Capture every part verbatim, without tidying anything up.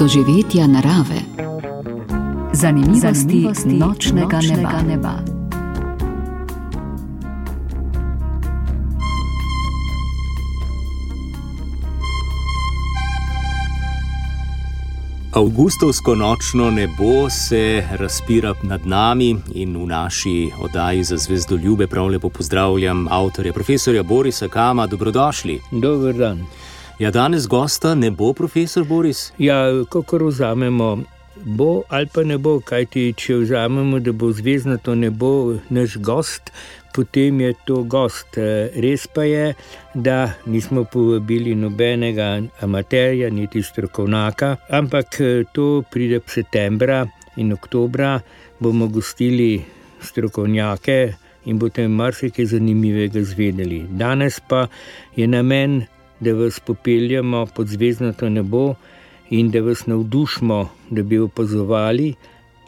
doživetja narave. Zanimivosti, Zanimivosti nočnega, nočnega neba. neba. Avgustovsko nočno nebo se razpira nad nami in v naši oddaji za zvezdoljube prav lepo pozdravljam avtorja, profesorja Borisa Kama. Dobrodošli. Dober dan. Ja, danes gosta ne bo, profesor Boris? Ja, kakor vzamemo, bo ali pa ne bo, kajti če vzamemo, da bo zvezdnato nebo naš gost, potem je to gost. Res pa je, da nismo povabili nobenega amaterja, niti strokovnjaka, ampak to pride septembra in oktobra, bomo gostili strokovnjake in boste marsikaj zanimivega zvedeli. Danes pa je namen, da vas popeljemo pod zvezdnato nebo in da vas navdušimo, da bi opazovali.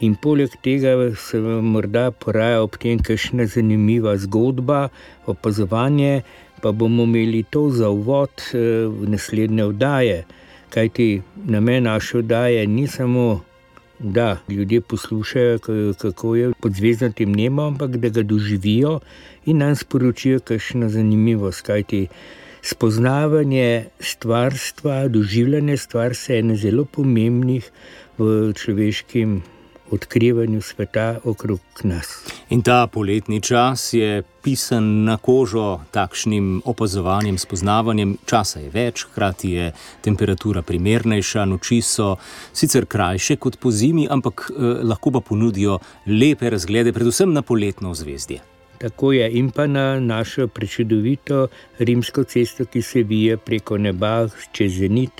In poleg tega se vam morda poraja ob tem kakšna zanimiva zgodba, opazovanje, pa bomo imeli to za uvod v naslednje oddaje. Kajti namen naše oddaje ni samo, da ljudje poslušajo, kako je pod zvezdnatim nebom, ampak da ga doživijo in nam sporočijo kakšna zanimivost. Kajti spoznavanje stvarstva, doživljanje stvarstva je ena zelo pomembnih v človeškem odkrivanju sveta okrog nas. In ta poletni čas je pisan na kožo takšnim opazovanjem, spoznavanjem. Časa je več, hkrati je temperatura primernejša, noči so sicer krajše kot po zimi, ampak eh, lahko pa ponudijo lepe razglede, predvsem na poletno ozvezdje. Tako je, in pa na našo prečudovito rimsko cesto, ki se vije preko neba čez zenit.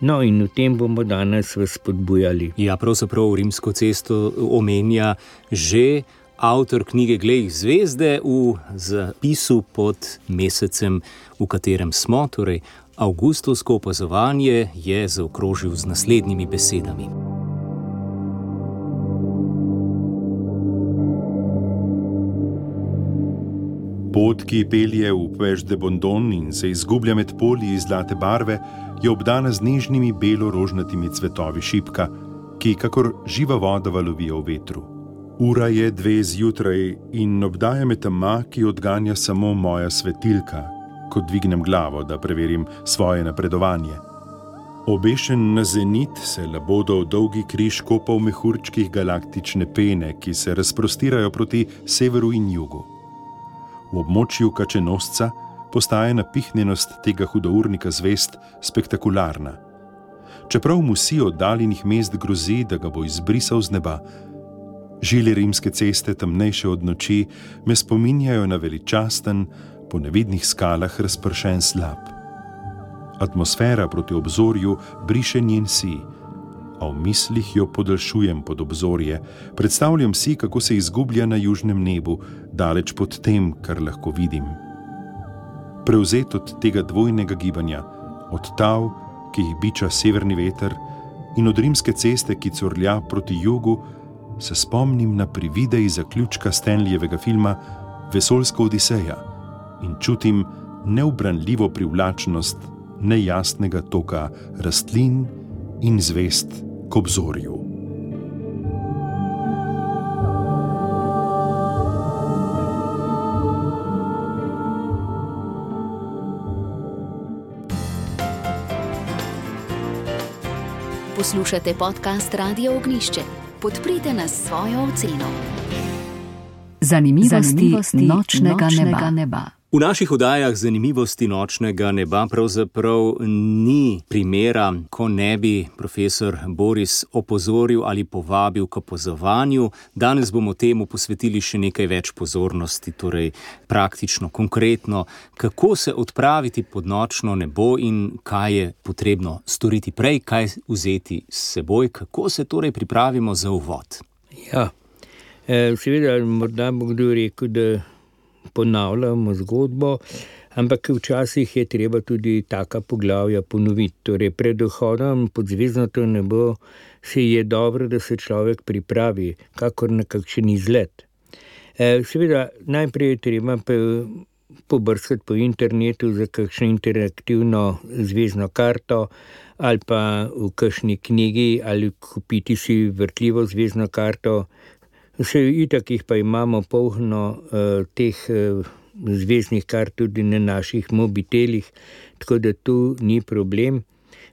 No, in v tem bomo danes vas spodbujali. Ja, pravzaprav rimsko cesto omenja že avtor knjige Glej zvezde v zapisu pod mesecem, v katerem smo, torej avgustovsko opazovanje, je zaokrožil z naslednjimi besedami. Pot, ki pelje v Puech de Bondon in se izgublja med polji zlate barve, je obdana z nežnimi belo-rožnatimi cvetovi šipka, ki kakor živa voda valovijo v vetru. Ura je dve zjutraj in obdaja me tema, ki odganja samo moja svetilka, ko dvignem glavo, da preverim svoje napredovanje. Obešen na zenit se labodov dolgi križ kopa v mehurčkih galaktične pene, ki se razprostirajo proti severu in jugu. V območju Kačenosca postaje napihnjenost tega hudournika zvezd spektakularna. Čeprav mu si oddaljenih mest grozi, da ga bo izbrisal z neba, žile rimske ceste, temnejše od noči, me spominjajo na veličasten, po nevidnih skalah razpršen slap. Atmosfera proti obzorju briše njen si, a v mislih jo podaljšujem pod obzorje, predstavljam si, kako se izgublja na južnem nebu, daleč pod tem, kar lahko vidim. Prevzet od tega dvojnega gibanja, od tav, ki jih biča severni veter, in od rimske ceste, ki curlja proti jugu, se spomnim na prividej zaključka Stanleyjevega filma Vesoljska odiseja in čutim neubranljivo privlačnost nejasnega toka rastlin in zvezd k obzorju. Poslušate podcast Radio Ognjišče. Podprite nas s svojo oceno. Zanimivosti, Zanimivosti nočnega, nočnega neba. neba. V naših oddajah Zanimivosti nočnega neba pravzaprav ni primera, ko ne bi profesor Boris opozoril ali povabil k opazovanju. Danes bomo temu posvetili še nekaj več pozornosti, torej praktično, konkretno, kako se odpraviti pod nočno nebo in kaj je potrebno storiti prej, kaj vzeti s seboj, kako se torej pripravimo za uvod. Ja, seveda morda bo kdo rekel, da ponavljamo zgodbo, ampak včasih je treba tudi taka poglavja ponoviti. Torej, pred vhodom pod zvezdnato nebo se je dobro, da se človek pripravi, kakor na kakšen izlet. Seveda, najprej je treba pobrskati po internetu za kakšno interaktivno zvezdno karto ali pa v kakšni knjigi ali kupiti si vrtljivo zvezdno karto. Vse itak jih pa imamo polno uh, teh uh, zvezdnih kart tudi na naših mobitelih, tako da tu ni problem.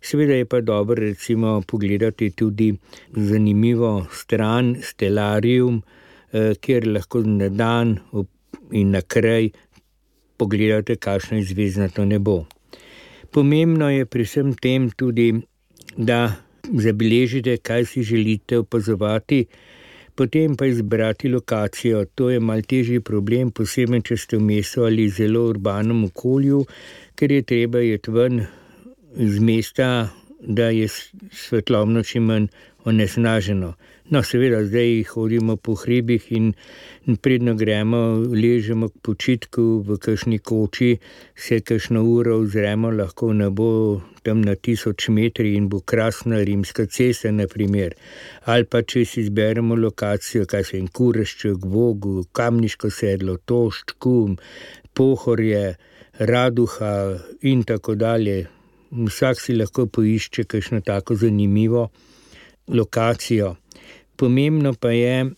Seveda je pa dobro recimo pogledati tudi zanimivo stran Stellarium, eh, kjer lahko na dan in na kraj pogledate, kakšno je zvezdnato nebo. Pomembno je pri vsem tem tudi, da zabeležite, kaj si želite opazovati, potem pa izbrati lokacijo. To je malo težji problem, posebej če ste v mestu ali zelo urbanem okolju, ker je treba iti ven iz mesta, da je svetlobno čim manj onesnaženo. No, seveda, zdaj hodimo po hribih in predno gremo, ležemo k počitku v kakšni koči, se kakšno uro ozremo lahko v nebo tam na tisoč metri in bo krasna Rimska cesta, na primer. Ali pa če si izberemo lokacijo, kaj se je Kurešček, Vogel, Kamniško sedlo, Tošč, Kum, Pohorje, Raduha in tako dalje. Vsak si lahko poišče kakšno tako zanimivo lokacijo. Pomembno pa je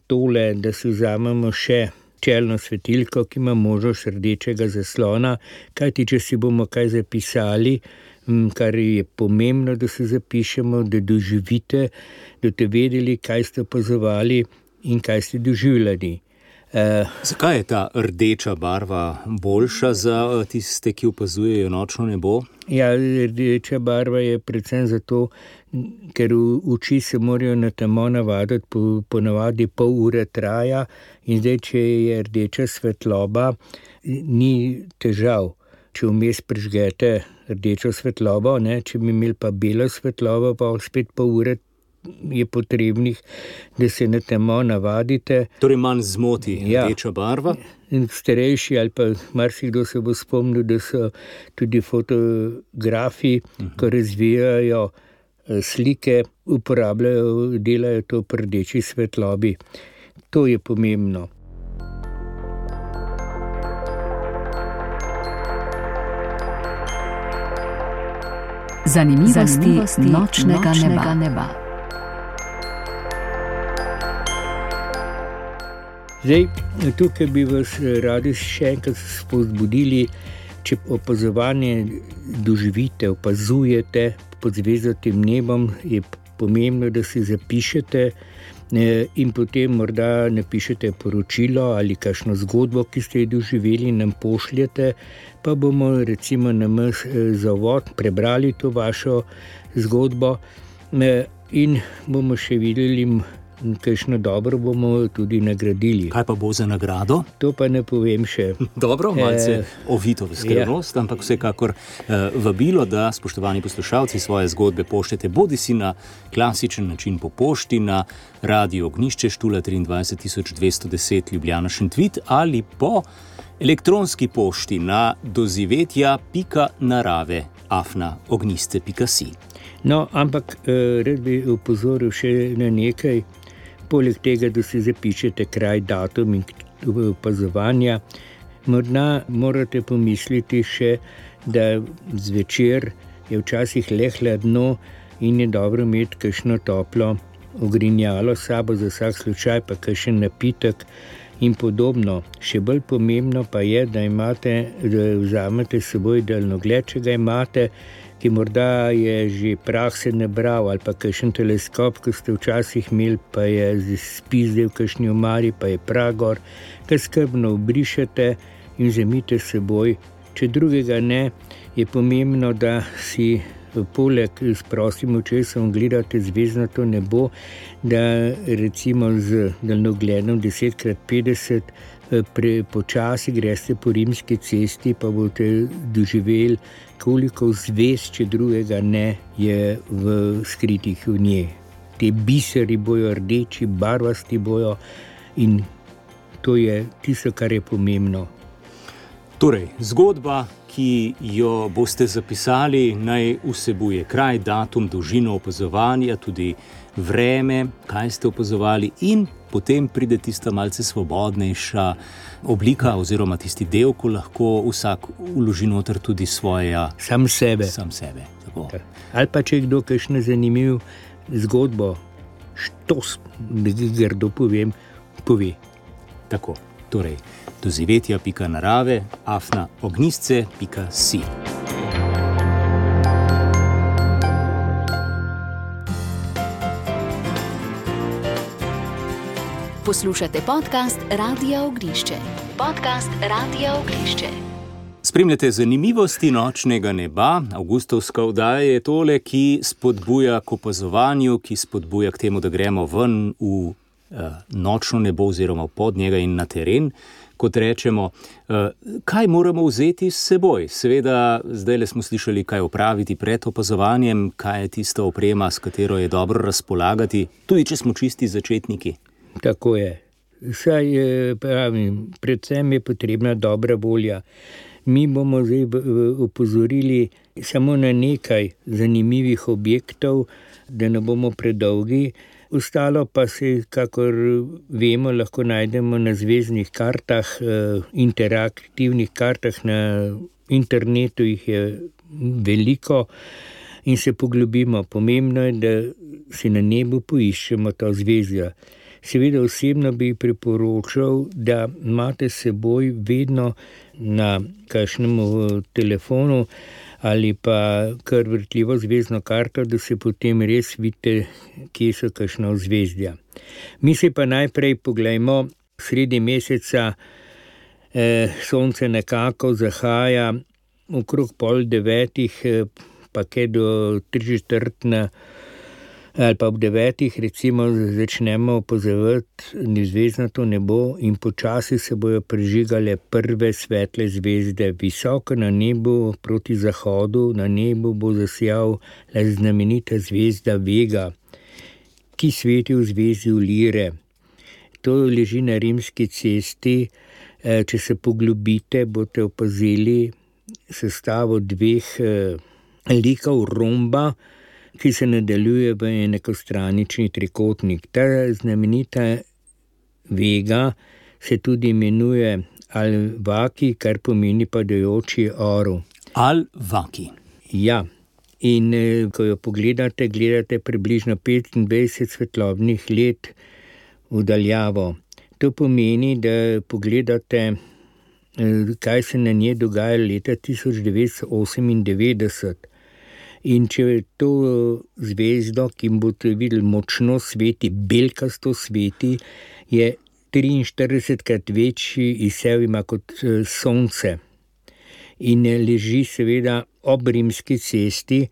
tole, da si vzamemo še čelno svetilko, ki ima možnost rdečega zaslona, kajti če si bomo kaj zapisali, kar je pomembno, da se zapišemo, da doživite, da ste vedeli, kaj ste opazovali in kaj ste doživljali. Uh, Zakaj je ta rdeča barva boljša za tiste, ki opazujejo nočno nebo? Ja, rdeča barva je predvsem zato, ker oči se morajo na temo navaditi, po, ponavadi pol ure traja in zdaj, če je rdeča svetloba, ni težav. Če vmes prižgete rdečo svetlobo, ne, če bi imeli pa belo svetlobo, pa spet pol ure je potrebnih, da se na temo navadite. Torej manj zmoti ja. Rdeča barva? Starejši ali pa marsikdo se bo spomnil, da so tudi fotografi, uh-huh. ko razvijajo slike, uporabljajo, delajo to pri rdeči svetlobi. To je pomembno. Zanimivosti, Zanimivosti nočnega, nočnega neba. neba. Zdaj, tukaj bi vas radi še enkrat spodbudili, če opazovanje doživite, opazujete pod zvezdatim nebom, je pomembno, da si zapišete in potem morda napišete poročilo ali kakšno zgodbo, ki ste jo doživeli, nam pošljete, pa bomo recimo nam za uvod prebrali to vašo zgodbo in bomo še videli, kakšno dobro bomo tudi nagradili. Kaj pa bo za nagrado? To pa ne povem še. Dobro, malce e, ovito v skrivnost, ja. Ampak vsekakor eh, vabilo, da spoštovani poslušalci svoje zgodbe pošljete bodi si na klasičen način po pošti na Radio Ognjišče, Štula triindvajset tisoč dvesto deset Ljubljana Šentvid ali po elektronski pošti na dozivetja pika narave afna ognjiste pika si. No, ampak eh, red bi upozoril še na nekaj. Poleg tega, da si zapišete kraj, datum in opazovanja, morda morate pomisliti še, da zvečer je včasih le hladno in je dobro imeti kakšno toplo ogrinjalo s sabo za vsak slučaj, pa kakšen napitek in podobno. Še bolj pomembno pa je, da imate, da vzamete s seboj daljnogled, če ga imate, ki morda je že prah se nabral ali pa kakšen teleskop, ki ste včasih imeli, pa je spizdel v kakšni omari, pa je prah gor, kar skrbno obrišete in vzemite s seboj. Če drugega ne, je pomembno, da si poleg s prostim očesom gledate zvezdnato nebo, da recimo z daljnogledom deset krat petdeset pre, počasi greste po Rimski cesti, pa boste doživeli, koliko zvezd, če drugega ne, je v skritih v njej. Te biseri bojo rdeči, barvasti bojo in to je tisto, kar je pomembno. Torej, zgodba, ki jo boste zapisali, naj vsebuje kraj, datum, dolžino opazovanja, tudi vreme, kaj ste opazovali, in potem pride tista malce svobodnejša oblika oziroma tisti del, ko lahko vsak vloži noter tudi svoja... Sam sebe. Sam sebe, tako. Ali pa če kdo kakšno zanimiv zgodbo, štos, da grdo povem, pove. Tako, torej, doživetja pika narave, afna ognjisce pika si. Poslušate podcast Radia Ognjišče. Podcast Radia Ognjišče. Spremljate zanimivosti nočnega neba. Avgustovska oddaja je tole, ki spodbuja k opazovanju, ki spodbuja k temu, da gremo ven v uh, nočno nebo oziroma pod njega in na teren, kot rečemo. Uh, kaj moramo vzeti s seboj? Seveda, zdaj le smo slišali, kaj opraviti pred opazovanjem, kaj je tista oprema, s katero je dobro razpolagati, tudi če smo čisti začetniki. Tako je. Saj, pravim, predvsem je potrebna dobra volja. Mi bomo zdaj opozorili samo na nekaj zanimivih objektov, da ne bomo predolgi. Ostalo pa se, kakor vemo, lahko najdemo na zvezdnih kartah, interaktivnih kartah na internetu, jih je veliko in se poglobimo. Pomembno je, da si na nebu poiščemo to zvezdo. Seveda osebno bi priporočal, da imate s seboj vedno na kakšnem telefonu ali pa kar vrtljivo zvezdno karto, da se potem res vidite, kje so kakšna zvezdja. Mi se pa najprej poglejmo, sredi meseca eh, sonce nekako zahaja okrog pol devetih, eh, pa kaj do tri četrt na ali pa ob devetih recimo začnemo opazovati zvezdnato nebo in počasi se bojo prižigale prve svetle zvezde. Visoko na nebu proti zahodu, na nebu bo zasijal znamenita zvezda Vega, ki sveti v zvezdi Lire. To leži na Rimski cesti. Če se poglobite, boste opazili sestavo dveh likov romba, ki se nadaljuje v enakostranični trikotnik. Ta znamenita Vega se tudi imenuje Al-Vaki, kar pomeni padajoči orel. Al-Vaki. Ja, in ko jo pogledate, gledate približno petindvajset svetlobnih let v daljavo. To pomeni, da pogledate, kaj se na njej dogaja leta tisoč devetsto osemindevetdeset. In če je to zvezdo, ki boste videli močno sveti, belkasto sveti, je triinštiridesetkrat večji izsev ima kot sonce. In leži seveda ob Rimski cesti,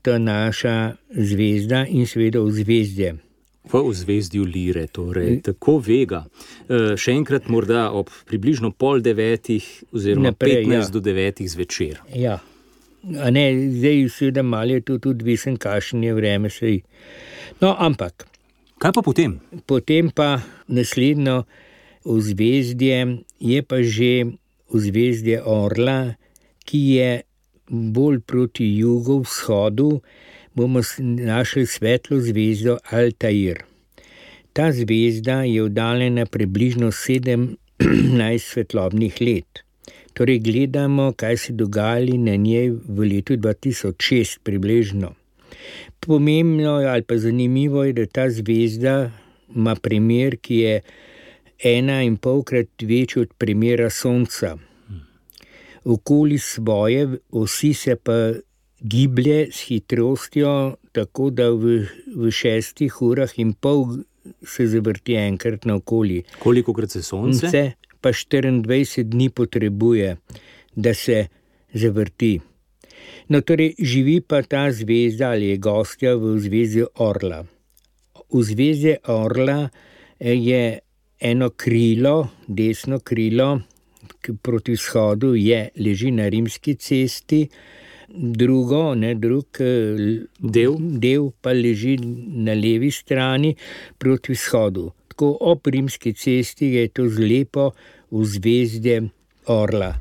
ta naša zvezda in seveda v zvezdje. V zvezdju Lire, torej tako Vega. E, še enkrat morda ob približno pol devetih oziroma Naprej, petnajst ja. do devetih zvečer. Ja. A ne, zdaj seveda malo je to tudi visen, kakšen je vreme sej. No, ampak. Kaj pa potem? Potem pa naslednjo ozvezdje je pa že ozvezdje Orla, ki je bolj proti jugovzhodu, bomo našli svetlo zvezdo Altair. Ta zvezda je oddaljena približno sedemnajst svetlobnih let. Torej gledamo, kaj se dogajali na njej v letu dva tisoč šest približno. Pomembno ali pa zanimivo je, da ta zvezda ima premer, ki je ena in polkrat večji od premera Sonca. Okoli svoje osi se pa giblje s hitrostjo, tako da v, v šestih urah in pol se zavrti enkrat naokoli. Kolikokrat se Sonce? Sonce pa štiriindvajset dni potrebuje, da se zavrti. No, torej, živi pa ta zvezda ali je gostja v zvezdi Orla. V zvezdi Orla je eno krilo, desno krilo, proti vzhodu je, leži na Rimski cesti, drugo, ne, drug del. del pa leži na levi strani proti vzhodu. Tako ob Rimski cesti je to zlepo v zvezdje Orla.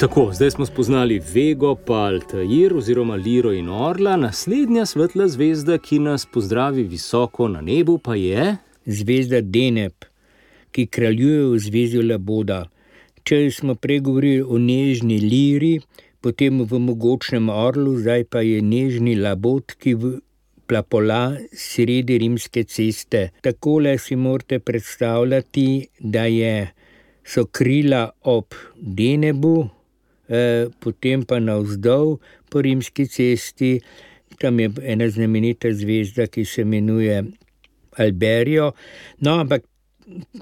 Tako, zdaj smo spoznali Vego pa Altair oziroma Liro in Orla. Naslednja svetla zvezda, ki nas pozdravi visoko na nebu, pa je zvezda Deneb, ki kraljuje v zvezju Laboda. Če smo prej govorili o nežni Liri, potem v mogočnem Orlu, zdaj pa je nežni Labod, ki plapola sredi rimske ceste. Takole si morate predstavljati, da je, so krila ob Denebu, eh, potem pa navzdol po rimski cesti. Tam je ena znamenita zvezda, ki se imenuje Alberijo. No, ampak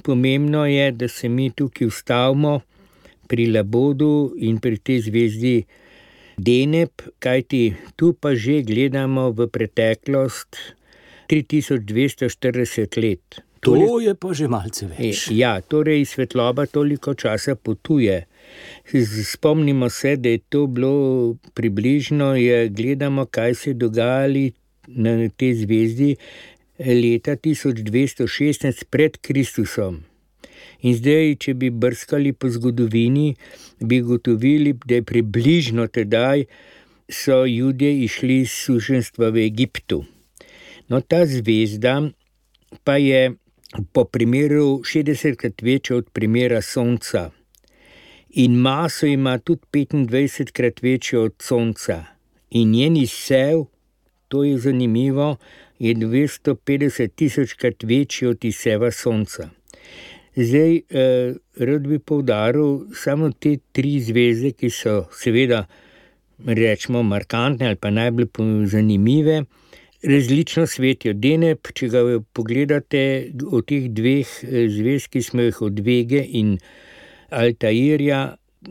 pomembno je, da se mi tukaj ustavimo pri Labodu in pri tej zvezdi Deneb, kajti tu pa že gledamo v preteklost tri tisoč dvesto štirideset let. To je pa že malce več. Ja, torej svetloba toliko časa potuje. Spomnimo se, da je to bilo približno, je, gledamo, kaj se je dogajali na tej zvezdi leta tisoč dvesto šestnajst pred Kristusom. In zdaj, če bi brskali po zgodovini, bi gotovili, da je približno tedaj so Judje išli iz suženjstva v Egiptu. No, ta zvezda pa je po primeru šestdesetkrat večja od primera Sonca. In maso ima tudi petindvajsetkrat večjo od Sonca. In njen izsev, to je zanimivo, je dvesto petdeset tisočkrat večji od izseva Sonca. Zdaj, eh, rad bi poudaril samo te tri zvezde, ki so seveda, rečemo, markantne ali pa najbolj zanimive, različno svetijo. Deneb, če ga pogledate, od teh dveh zvezd, ki smo jih od Vege in Altairja,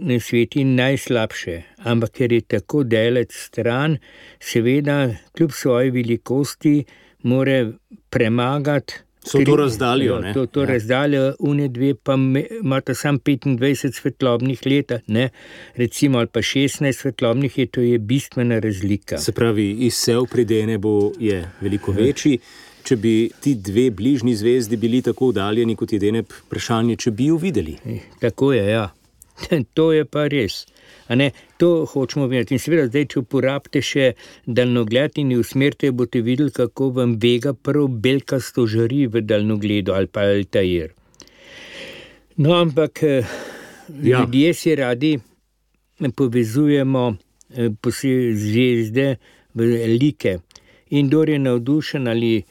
ne sveti najslabše, ampak ker je tako daleč stran, seveda kljub svoji velikosti more premagati. So to razdaljo, ne? To, to ja. razdaljo, une dve pa imata sam petindvajset svetlobnih let, ne? Recimo, ali pa šestnajst svetlobnih let, to je bistvena razlika. Se pravi, izsev pri Denebu je veliko večji. Če bi ti dve bližnji zvezdi bili tako oddaljeni, kot je Deneb, vprašanje, če bi jo videli. Tako je, ja. To je pa res. A ne, to hočemo videti. In seveda zdaj, če uporabite še daljnogled in usmerite, boste videli, kako vam Vega prav belkasto žari v daljnogledu ali pa Altair. No, ampak ja. ljudje si radi povezujemo zvezde v like. In kdor je navdušen ali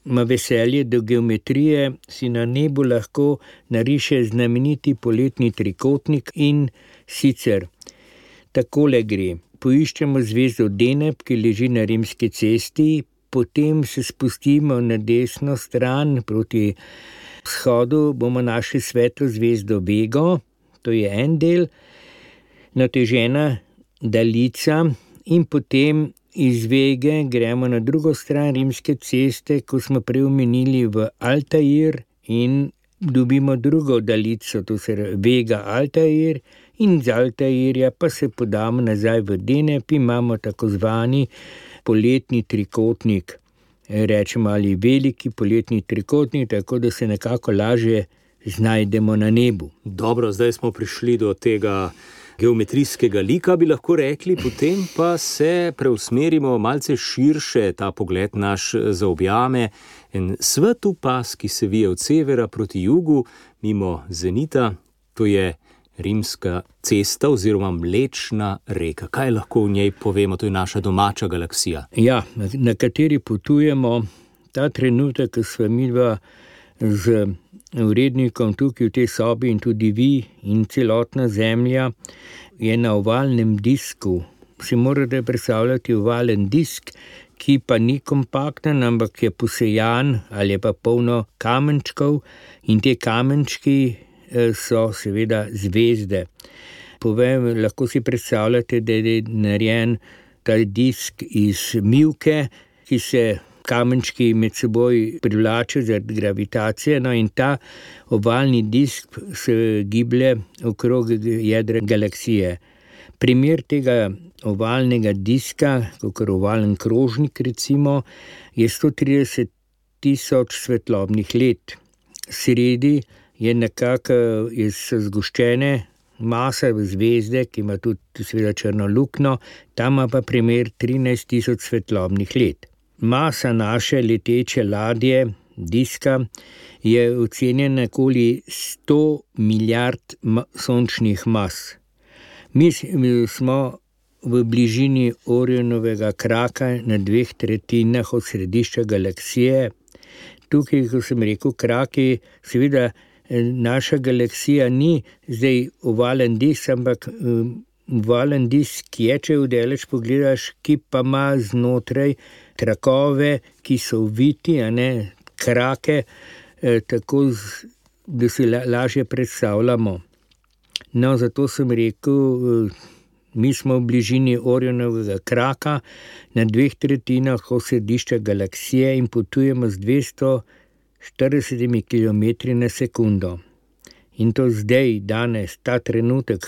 ima veselje do geometrije, si na nebu lahko nariše znameniti poletni trikotnik in sicer takole gre. Poiščemo zvezdo Deneb, ki leži na rimski cesti, potem se spustimo na desno stran proti vzhodu, bomo našli svetlo zvezdo Vego, to je en del, natežena daljica in potem iz Vege gremo na drugo stran rimske ceste, ko smo prej omenili v Altair in dobimo drugo daljico, to se Vega Altair, in z Altairja pa se podamo nazaj v Deneb, imamo tako zvani poletni trikotnik, rečemo ali veliki poletni trikotnik, tako da se nekako lažje znajdemo na nebu. Dobro, zdaj smo prišli do tega geometrijskega lika, bi lahko rekli, potem pa se preusmerimo malce širše, ta pogled naš zaobjame en svetu pas, ki se vije od severa proti jugu, mimo zenita, to je rimska cesta oziroma Mlečna reka. Kaj lahko v njej povemo, to je naša domača galaksija? Ja, na, na kateri potujemo ta trenutek, ko sva midva z urednikom tukaj v tej sobi in tudi vi in celotna Zemlja je na ovalnem disku. Si morate predstavljati ovalen disk, ki pa ni kompakten, ampak je posejan ali je pa polno kamenčkov in te kamenčki so seveda zvezde. Povem, lahko si predstavljate, da je narejen ta disk iz mivke, ki se kamenčki med seboj privlačijo zaradi gravitacije, no in ta ovalni disk se giblje okrog jedra galaksije. Primer tega ovalnega diska, kakor ovalen krožnik recimo, je sto trideset tisoč svetlobnih let. Sredi je nekako, so zgoščene masa zvezde, ki ima tudi seveda črno luknjo, tam ima pa primer trinajst tisoč svetlobnih let. Masa naše leteče ladje, diska, je ocenjena okoli sto milijard sončnih mas. Mi smo v bližini Orionovega kraka na dveh tretjinah od središča galaksije. Tukaj, ko sem rekel kraki, seveda naša galaksija ni zdaj ovalen disk, ampak ovalen disk je, če vdaleč pogledaš, ki pa ima znotraj trakove, ki so oviti, a ne krake, tako, da si lažje predstavljamo. No, zato sem rekel, mi smo v bližini Orionovega kraka na dveh tretjinah od središča galaksije in potujemo z dvesto štirideset kilometri na sekundo. In to zdaj, danes, ta trenutek,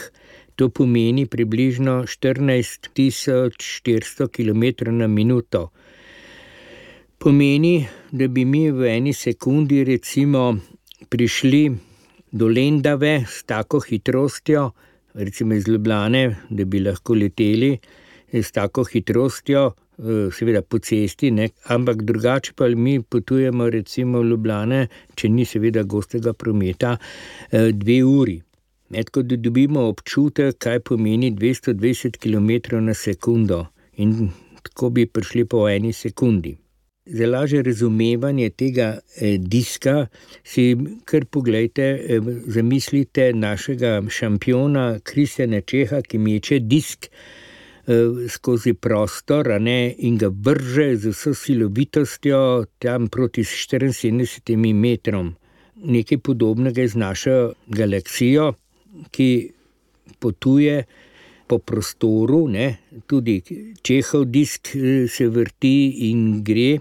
to pomeni približno štirinajst tisoč štiristo kilometrov na minuto. Pomeni, da bi mi v eni sekundi recimo prišli do Lendave s tako hitrostjo, recimo iz Ljubljane, da bi lahko leteli s tako hitrostjo, seveda po cesti, ne? Ampak drugače pa mi potujemo recimo v Ljubljane, če ni seveda gostega prometa, dve uri. Tako da dobimo občutek, kaj pomeni dvesto dvajset kilometrov na sekundo in tako bi prišli po eni sekundi. Za lažje razumevanje tega eh, diska si kar poglejte, eh, zamislite našega šampiona Kristjana Čeha, ki meče disk eh, skozi prostor, a ne, in ga vrže z vso silovitostjo tam proti štiriinsedemdesetim metrom. Nekaj podobnega je z našo galaksijo, ki potuje po prostoru, ne, tudi Čehov disk se vrti in gre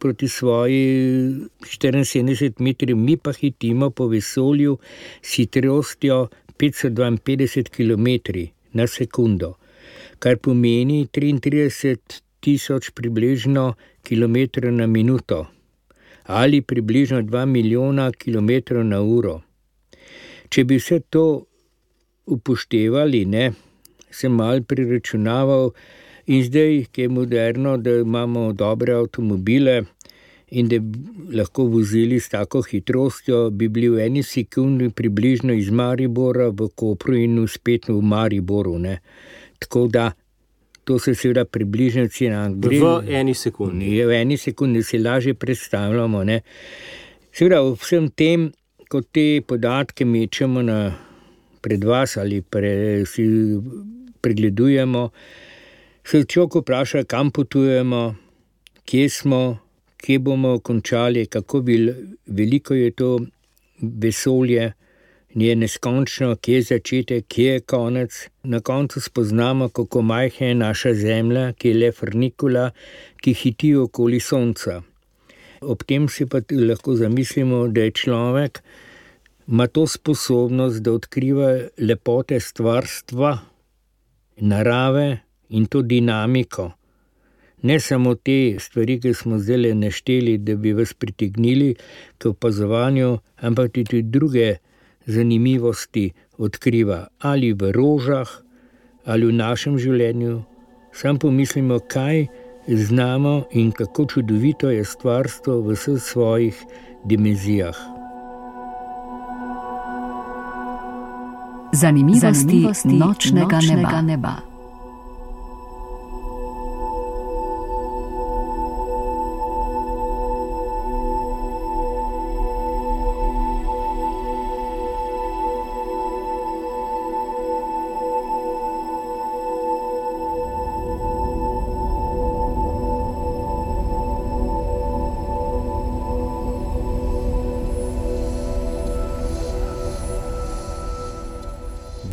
proti svoji štiriinsedemdeset metrov, mi pa hitimo po vesolju s hitrostjo petsto dvainpetdeset kilometrov na sekundo, kar pomeni triintrideset tisoč približno kilometrov na minuto ali približno dva milijona kilometrov na uro. Če bi vse to upoštevali, ne, sem malo priračunaval. In zdaj, ki je moderno, da imamo dobre avtomobile in da bi lahko vozili s tako hitrostjo, bi bili v eni sekundi približno iz Maribora v Kopru in spet v Mariboru. Ne. Tako da, to se seveda približno cena. V eni sekundi. V eni sekundi si lažje predstavljamo. Ne. Seveda, vsem tem, ko te podatke mečemo na, pred vas ali pre, si pregledujemo, se človek vpraša, kam potujemo, kje smo, kje bomo končali, kako veliko je to vesolje, je neskončno, kje je začetek, kje je konec. Na koncu spoznamo, kako majhna je naša Zemlja, ki je le frnikula, ki hiti okoli Sonca. Ob tem si pa lahko zamislimo, da je človek, ima to sposobnost, da odkriva lepote stvarstva, narave, in to dinamiko. Ne samo te stvari, ki smo zdaj našteli, da bi vas pritegnili k opazovanju, ampak tudi druge zanimivosti odkriva. Ali v rožah, ali v našem življenju. Sam pomislimo, kaj znamo in kako čudovito je stvarstvo v vseh svojih dimenzijah. Zanimivosti, Zanimivosti nočnega, nočnega neba. neba.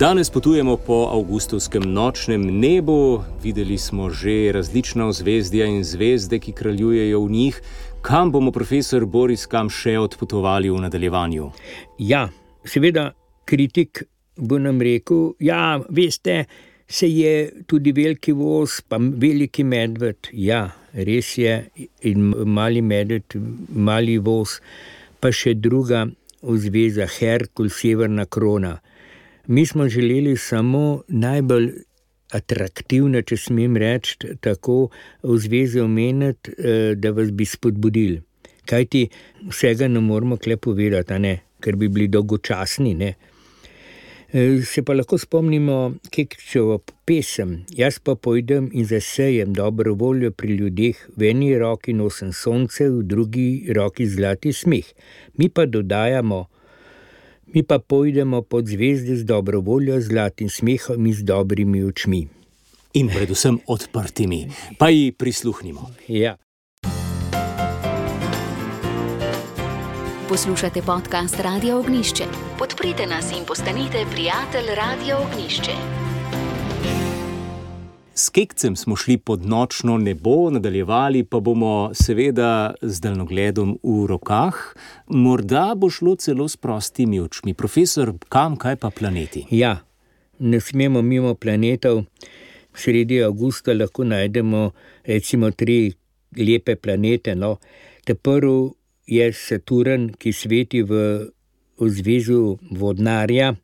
Danes potujemo po avgustovskem nočnem nebu, videli smo že različna ozvezdja in zvezde, ki kraljujejo v njih. Kam bomo, profesor Boris, kam še odpotovali v nadaljevanju? Ja, seveda kritik bo nam rekel, ja, veste, se je tudi veliki voz, pa veliki medved. Ja, res je, in mali medved, mali voz, pa še druga ozvezda, Herkul, severna krona. Mi smo želeli samo najbolj atraktivne, če smem reči, tako v zvezi omeniti, da vas bi spodbudili. Kajti vsega ne moramo kle povedati, ne? Ker bi bili dolgočasni. Ne? Se pa lahko spomnimo Kekčevo pesem. Jaz pa pojdem in zasejem dobro voljo pri ljudeh, v eni roki nosim sonce, v drugi roki zlati smeh. Mi pa dodajamo, mi pa pojdemo pod zvezde z dobro voljo, zlatim smehom in z dobrimi očmi. In predvsem odprtimi. Pa ji prisluhnimo. Ja. Poslušate podcast Radia Ognjišče. Podprite nas in postanite prijatelj Radia Ognjišče. S Kekcem smo šli pod nočno nebo, nadaljevali pa bomo seveda z daljnogledom v rokah. Morda bo šlo celo s prostimi očmi. Profesor, kam, kaj pa planeti? Ja, ne smemo mimo planetov. Sredi avgusta lahko najdemo recimo tri lepe planete. No. Ta prvi je Saturn, ki sveti v, v zvezu vodnarja,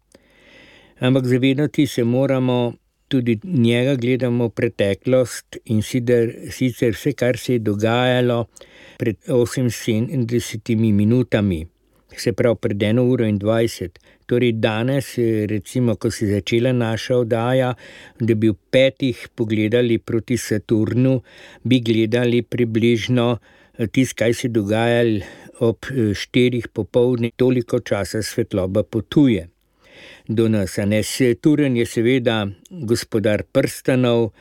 ampak zavedati se moramo, tudi njega gledamo preteklost in sicer, sicer vse, kar se je dogajalo pred oseminsedemdesetimi minutami, se pravi pred eno uro in dvajset. Torej danes, recimo, ko se je začela naša oddaja, da bi v petih pogledali proti Saturnu, bi gledali približno tisto, kaj se dogajalo ob štirih popoldne, toliko časa svetloba potuje do nas. Saturn je seveda gospodar prstanov,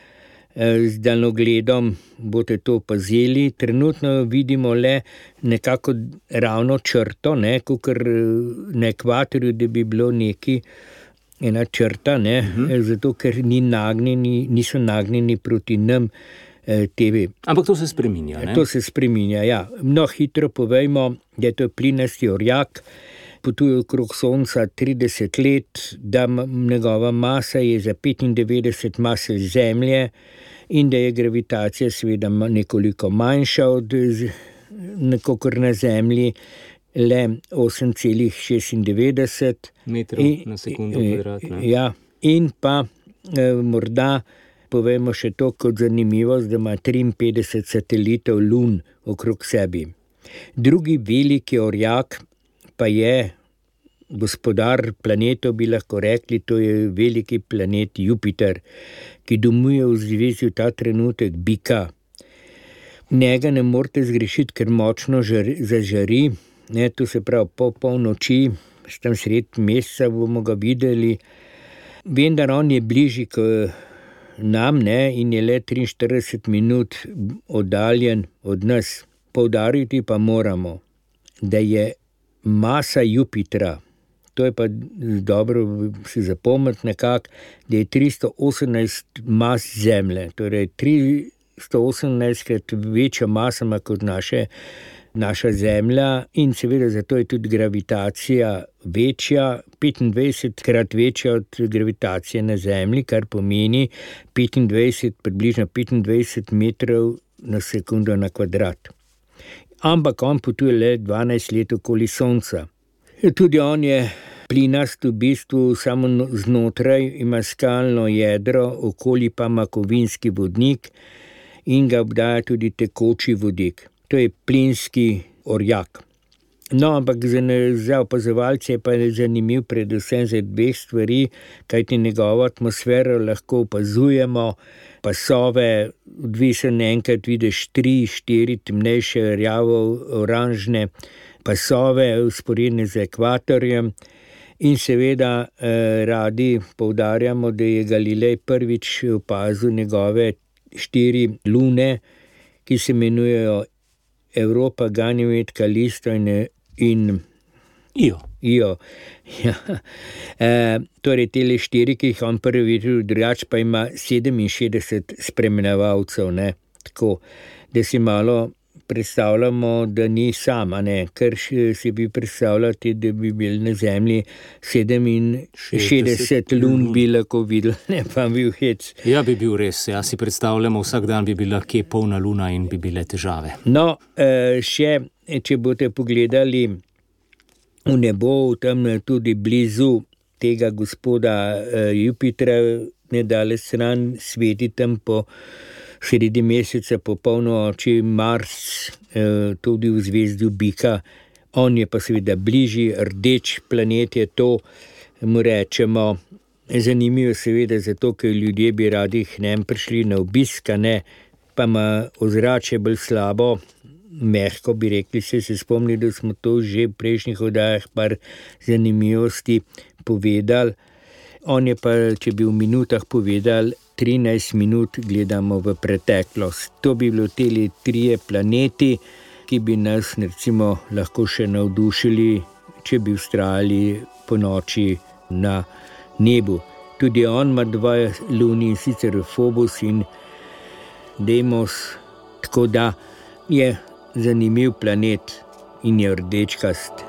z daljnogledom boste to opazili. Trenutno vidimo le nekako ravno črto, ne, kakor na ekvatorju, da bi bilo neki ena črta, ne, uh-huh. zato ker ni nagnjeni, niso nagnjeni proti nam T V. Ampak to se spreminja, ne? To se spreminja, ja. No, hitro povejmo, da je to plinasti orjak, potuje okrog Sonca trideset let, da njegova masa je za petindevetdeset mase Zemlje in da je gravitacija seveda nekoliko manjša od nekokor na Zemlji, le osem celih šestindevetdeset metrov na sekundo kvadratna. Ja, in pa eh, morda povemo še to kot zanimivost, da ima triinpetdeset satelitov lun okrog sebi. Drugi veliki orjak pa je gospodar planetov, bi lahko rekli, to je veliki planet Jupiter, ki domuje v zvezi v ta trenutek bika. Njega ne morete zgrešiti, ker močno žari, zažari, ne, to se pravi po polnoči, tam sred meseca bomo ga videli, vendar on je bližji k nam, ne, in je le triinštirideset minut oddaljen od nas. Poudariti pa moramo, da je masa Jupitra, to je pa dobro si zapomniti nekako, da je tristo osemnajst mas Zemlje, torej tristo osemnajstkrat večja masa ima kot naše, naša Zemlja in seveda zato je tudi gravitacija večja, petindvajsetkrat večja od gravitacije na Zemlji, kar pomeni petindvajset, približno petindvajset metrov na sekundo na kvadrat. Ampak on potuje le dvanajst let okoli Sonca. Tudi on je plinast v bistvu samo znotraj, ima skalno jedro, okoli pa ima kovinski vodnik in ga obdaja tudi tekoči vodik. To je plinski orjak. No, ampak za, za opazovalce je pa zanimiv predvsem za dveh stvari, kajti njegovo atmosfero lahko opazujemo, pasove, odvisen enkrat vidiš tri, štiri temnejše, rjavo, oranžne pasove, usporedne z ekvatorjem in seveda eh, radi poudarjamo, da je Galilej prvič opazil njegove štiri lune, ki se imenujejo Europa, Ganimed, Kalisto in, in Io. Io. Ja. E, torej, tele štiri, ki jih on prvi videl, drugač pa ima sedeminšestdeset spremljevalcev, ne, tako, da si malo predstavljamo, da ni sama, ne, ker si bi predstavljati, da bi bil na Zemlji sedeminšestdeset lun bi lahko videl, ne, pa bi bil hec. Ja, bi bil res, ja si predstavljamo, vsak dan bi bila kje polna luna in bi bile težave. No, še, če boste pogledali v nebo, tam tudi blizu tega gospoda Jupitra nedaleč stran sveti tam po sredi meseca, po polnoči Mars, tudi v zvezdu Bika. On je pa seveda bližji, rdeč planet je to, mu rečemo. Zanimivo seveda zato, ker ljudje bi radi k nam prišli na obisk, ne, pa ima ozračje bolj slabo, mehko bi rekli, se se spomni, da smo to že v prejšnjih oddajah par zanimivosti povedali. On je pa, če bi v minutah povedal, trinajst minut gledamo v preteklost. To bi bilo teli trije planeti, ki bi nas recimo lahko še navdušili, če bi vztrajali po noči na nebu. Tudi on ima dva luni, in sicer Phobos in Deimos, tako da je zanimiv planet in je rdečkast.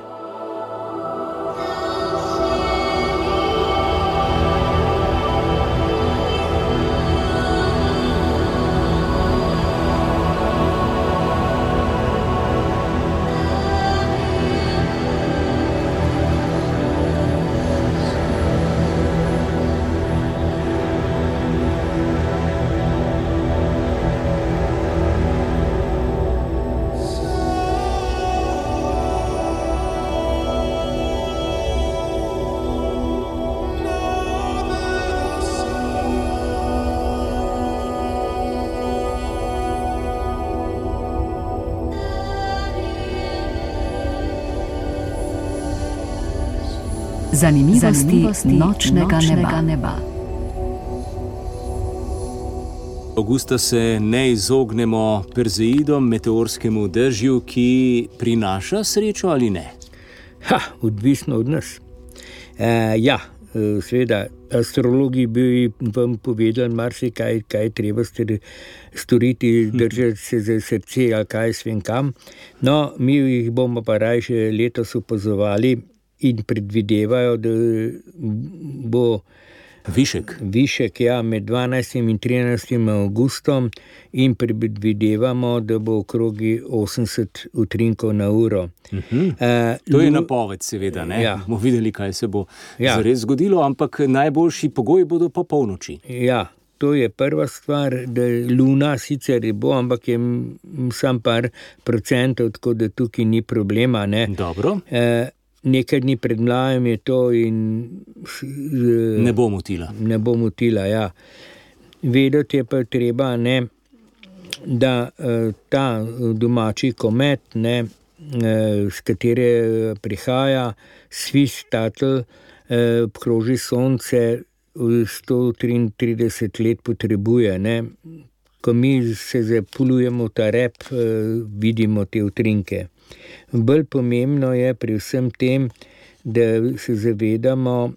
Zanimivosti, Zanimivosti nočnega, nočnega neba. neba. Avgusta se ne izognemo perzeidom, meteorskemu dežju, ki prinaša srečo ali ne? Ha, odvisno od nas. E, ja, seveda, astrologi bi vam povedali marsikaj, kaj treba storiti, držati se za srce ali kaj svem kam. No, mi jih bomo pa raje letos opazovali in predvidevajo, da bo višek, višek ja, med dvanajstim in trinajstim avgustom in predvidevamo, da bo okrogi osemdeset utrinkov na uro. Uh-huh. Uh, to je napoved, seveda, ne? Ja. Bomo videli, kaj se bo ja. zares zgodilo, ampak najboljši pogoji bodo po polnoči. Ja, to je prva stvar, da luna sicer bo, ampak je sam par procentov, tako da tukaj ni problema, ne? Dobro. Uh, Nekaj dni pred mlajem je to in ne bo motila. Ne bo motila, ja. Vedeti je pa treba, ne, da ta domači komet, ne, s katere prihaja Swiss Tuttle, obkroži sonce sto triintrideset let potrebuje, ne. Ko mi se zapuljujemo v ta rep, vidimo te utrinke. Bolj pomembno je pri vsem tem, da se zavedamo,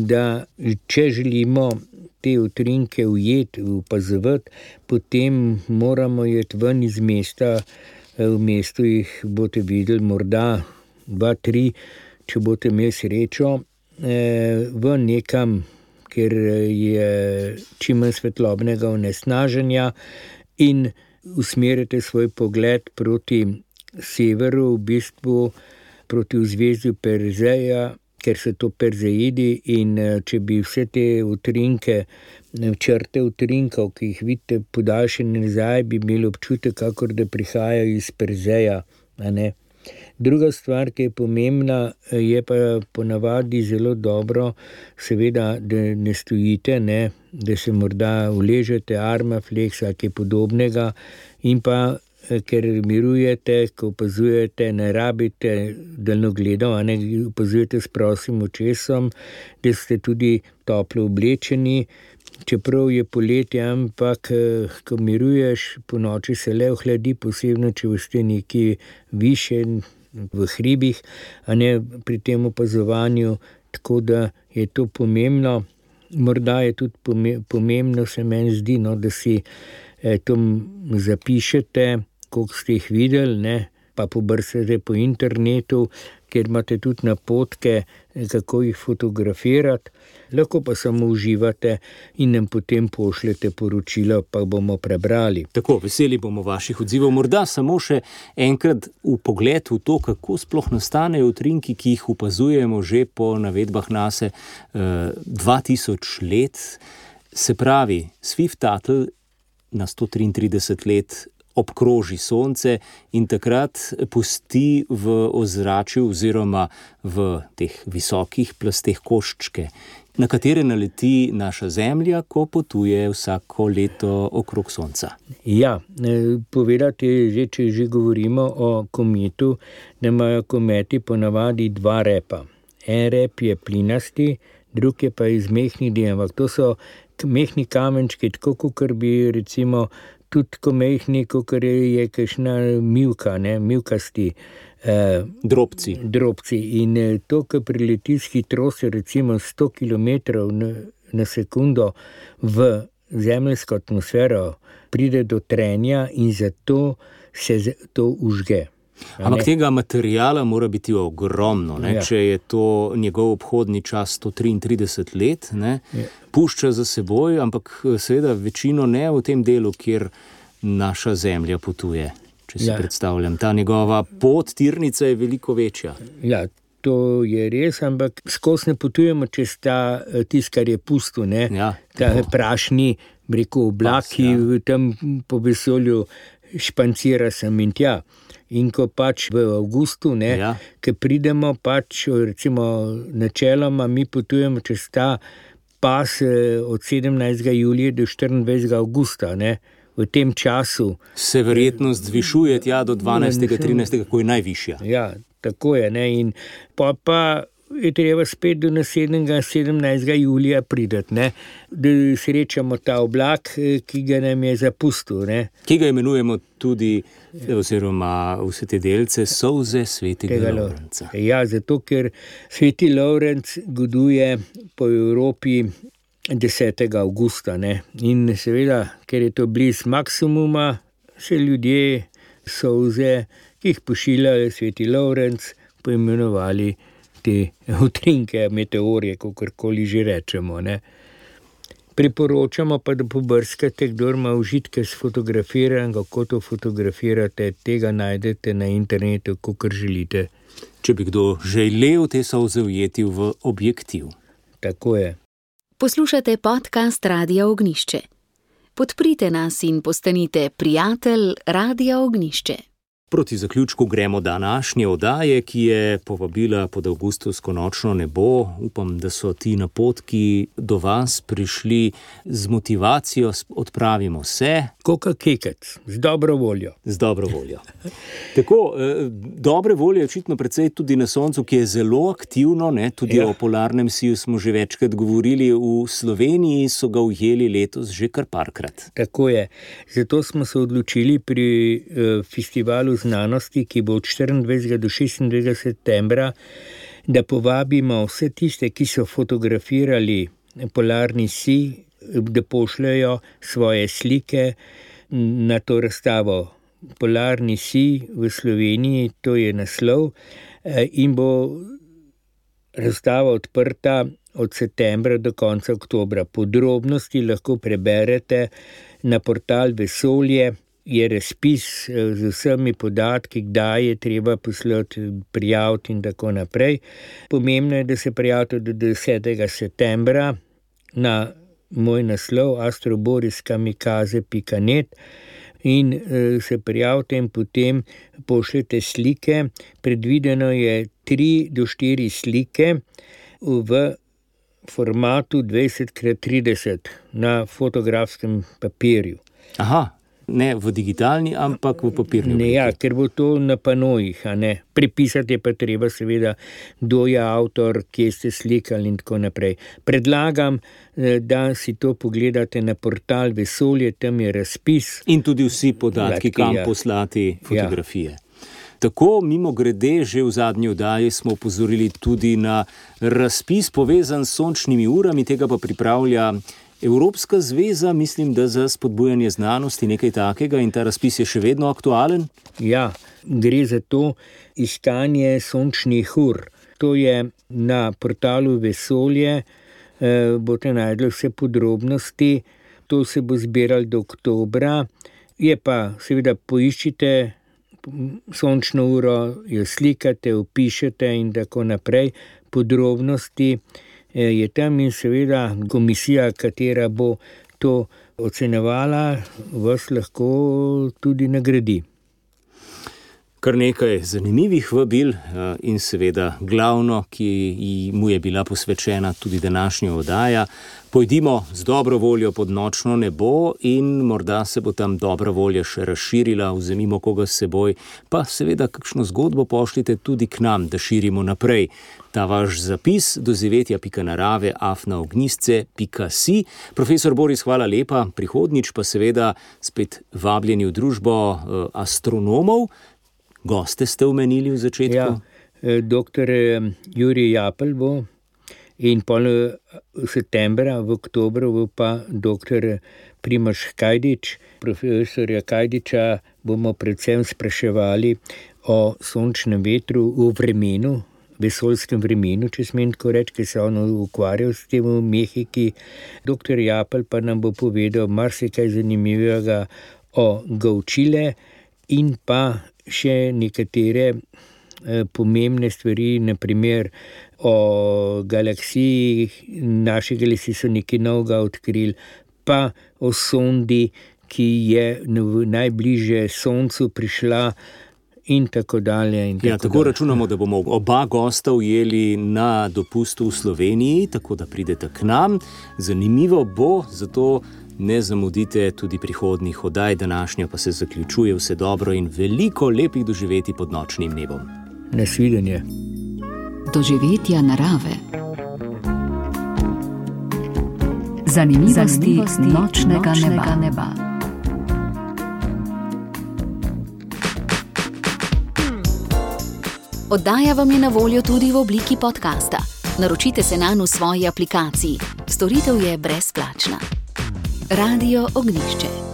da če želimo te utrinke ujeti, opazovati, potem moramo jeti ven iz mesta. V mestu jih boste videli morda dva, tri, če boste imeli srečo, v nekam, kjer je čim manj svetlobnega onesnaženja in usmerite svoj pogled proti severu, v bistvu proti vzvezdju Perzeja, ker so to Perzeidi, in če bi vse te utrinke, črte utrinkov, ki jih vidite podaljšene nazaj, bi imeli občutek, kakor da prihajajo iz Perzeja, a ne. Druga stvar, ki je pomembna, je pa ponavadi zelo dobro, seveda, da ne stojite, ne, da se morda uležete, armaflex ali kaj podobnega, in pa ker mirujete, ko opazujete, ne rabite daljnogledov, a ne opazujete s prosim očesom, da ste tudi toplo oblečeni, čeprav je poletje, ampak ko miruješ, po noči se le ohladi, posebno, če ste nekje više v hribih, a ne pri tem opazovanju, tako da je to pomembno. Morda je tudi pomembno, se meni zdi, no, da si to zapišete, koliko ste jih videli, ne, pa pobrsite po internetu, kjer imate tudi napotke, kako jih fotografirati. Lahko pa samo uživate in nam potem pošljete poročilo, pa bomo prebrali. Tako, veseli bomo vaših odzivov. Morda samo še enkrat v pogled v to, kako sploh nastanejo utrinki, ki jih opazujemo že po navedbah nase eh, dva tisoč let. Se pravi, Swift-Tuttle na sto triintrideset let obkroži sonce in takrat pusti v ozračju oziroma v teh visokih plasteh koščke, na katere naleti naša Zemlja, ko potuje vsako leto okrog sonca. Ja, povedati že, če že govorimo o kometu, da imajo kometi ponavadi dva repa. En rep je plinasti, drug je pa iz mehnih delov, ampak to so mehni kamenčki, tako kakor bi recimo tudi ko mehni, kakor je kakšna mivka, ne, mivkasti eh, drobci. drobci. In to, ko prileti s hitrostjo recimo sto kilometrov na, na sekundo v zemeljsko atmosfero, pride do trenja in zato se to užge. Ampak tega materijala mora biti ogromno, ne? Ja. Če je to njegov obhodni čas sto triintrideset let, ne? Ja. Pušča za seboj, ampak seveda večino ne v tem delu, kjer naša Zemlja potuje. Če si ja. predstavljam, ta njegova pot, tirnica je veliko večja. Ja, to je res, ampak skozi ne potujemo čez ta tisk, kar je pusto, ne? Ja, ta prašni, rekel, oblaki, Pas, ja. tam po vesolju špancira sem in tja. In ko pač v avgustu, ne, ja. ko pridemo pač, recimo načeloma, mi potujemo čez ta pas od sedemnajstega julija do štiriindvajsetega avgusta, ne, v tem času. Se verjetnost zvišuje tja do dvanajstega, trinajstega, ko je najvišja. Ja, tako je, ne, in pa pa je treba spet do naslednjega sedemnajstega julija prideti, ne, da srečamo ta oblak, ki ga nam je zapustil, ne. Ki ga imenujemo tudi, oziroma vse te delce, solze svetega Lovrenca. Ja, zato ker sveti Lovrenc goduje po Evropi desetega avgusta, ne. In seveda, ker je to bliz maksimuma, se ljudje solze, ki jih pošilja sveti Lovrenc, poimenovali te utrinke, meteorje, kakorkoli že rečemo, ne. Priporočamo pa, da pobrskate, kdor ima užitke s fotografiranjem, kako to fotografirate, tega najdete na internetu, kakor želite. Če bi kdo želel te solze ujeti v objektiv. Tako je. Poslušate podcast Radia Ognjišče. Podprite nas in postanite prijatelj Radia Ognjišče. Proti zaključku gremo današnje oddaje, ki je povabila pod avgustovsko nočno nebo. Upam, da so ti napotki do vas prišli z motivacijo, odpravimo se. Koka kekec, z dobro voljo. Z dobro voljo. Tako, eh, dobre volje je očitno precej tudi na soncu, ki je zelo aktivno, ne? Tudi ja. O polarnem siju smo že večkrat govorili, v Sloveniji so ga ujeli letos že kar parkrat. Tako je. Zato smo se odločili pri eh, festivalu znanosti, ki bo od štiriindvajsetega do šestindvajsetega septembra, da povabimo vse tiste, ki so fotografirali polarni sij, da pošljajo svoje slike na to razstavo. Polarni sij v Sloveniji, to je naslov, in bo razstava odprta od septembra do konca oktobra. Podrobnosti lahko preberete na portal Vesolje. Je razpis z vsemi podatki, kdaj je treba poslati, prijaviti in tako naprej. Pomembno je, da se prijavite do desetega septembra na moj naslov astroboris kamikaze pika net in e, se prijavite in potem pošljete slike. Predvideno je tri do štiri slike v formatu dvajset krat trideset na fotografskem papirju. Aha. Ne v digitalni, ampak v papirni obliki. Ne, ja, ker bo to na panojih, a ne. Prepisati je pa treba seveda, kdo je avtor, kje ste slikali in tako naprej. Predlagam, da si to pogledate na portal Vesolje, tam je razpis. In tudi vsi podatki, kam ja. poslati fotografije. Ja. Tako, mimo grede, že v zadnji oddaji smo opozorili tudi na razpis povezan s sončnimi urami, tega pa pripravlja Evropska zveza, mislim, da za spodbujanje znanosti nekaj takega in ta razpis je še vedno aktualen? Ja, gre za to iskanje sončnih ur. To je na portalu Vesolje, eh, boste najdli vse podrobnosti. To se bo zbiralo do oktobra. Je pa, seveda, poiščite sončno uro, jo slikate, opišete in tako naprej. Podrobnosti eh, je tam in seveda komisija, katera bo to ocenjevala, vas lahko tudi nagradi. Kar nekaj zanimivih vabil in seveda glavno, ki mu je bila posvečena tudi današnja oddaja. Pojdimo z dobro voljo pod nočno nebo in morda se bo tam dobra volja še razširila, vzemimo koga s seboj, pa seveda kakšno zgodbo pošljite tudi k nam, da širimo naprej. Ta vaš zapis doživetja pika narave afna ognjisce pika si. Profesor Boris, hvala lepa, prihodnjič pa seveda spet vabljeni v družbo astronomov. Goste ste omenili v začetku? Ja, doktor Jurij Japelj bo in pol septembra, v oktobru bo pa doktor Primož Kajdič. Profesorja Kajdiča bomo predvsem spraševali o sončnem vetru v vremenu, vesoljskem vremenu, če smem tako reči, ki se on ukvarjal s tem v Mehiki. Doktor Japelj pa nam bo povedal marsikaj zanimivega o Gaučile in pa še nekatere eh, pomembne stvari, naprimer o galaksiji, naše galaksije so nekaj novega odkrili, pa o sondi, ki je najbližje Soncu prišla in tako dalje. In tako ja, tako dalje. Računamo, da bomo oba gosta ujeli na dopustu v Sloveniji, tako da pridete k nam. Zanimivo bo, zato ne zamudite tudi prihodnjih oddaj, današnja pa se zaključuje. Vse dobro in veliko lepih doživetij pod nočnim nebom. Nasvidenje. Doživetja narave. Zanimivosti, Zanimivosti nočnega, nočnega neba. neba. Oddaja vam je na voljo tudi v obliki podcasta. Naročite se nanj v svoji aplikaciji. Storitev je brezplačna. Radio Ognjišče.